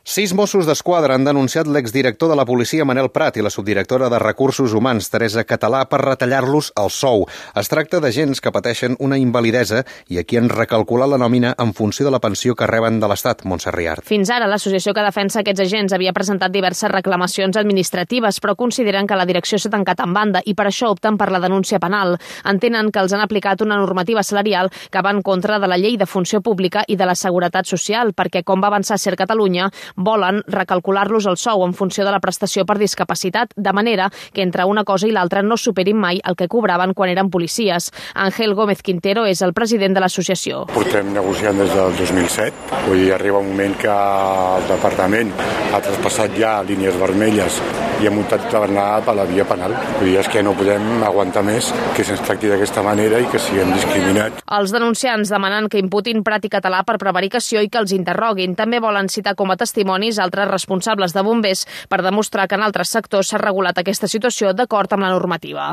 6 Mossos d'Esquadra han denunciat l'exdirector de la policia Manel Prat i la subdirectora de Recursos Humans Teresa Català per retallar-los el sou. Es tracta d'agents que pateixen una invalidesa i a qui han recalculat la nòmina en funció de la pensió que reben de l'Estat, Montse Riart. Fins ara, l'associació que defensa aquests agents havia presentat diverses reclamacions administratives, però consideren que la direcció s'ha tancat en banda i per això opten per la denúncia penal. Entenen que els han aplicat una normativa salarial que va en contra de la llei de funció pública i de la seguretat social, perquè, com va avançar Ser Catalunya, volen recalcular-los el sou en funció de la prestació per discapacitat, de manera que entre una cosa i l'altra no superin mai el que cobraven quan eren policies. Ángel Gómez Quintero és el president de l'associació. Portem negociant des del 2007. Vull dir, arriba un moment que el departament ha traspassat ja línies vermelles i ha muntat d'anar per la via penal. Vull dir, és que no podem aguantar més que se'ns tracti d'aquesta manera i que siguem discriminats. Els denunciants demanen que imputin Prat i Català per prevaricació i que els interroguin. També volen citar com a testimonis altres responsables de bombers per demostrar que en altres sectors s'ha regulat aquesta situació d'acord amb la normativa.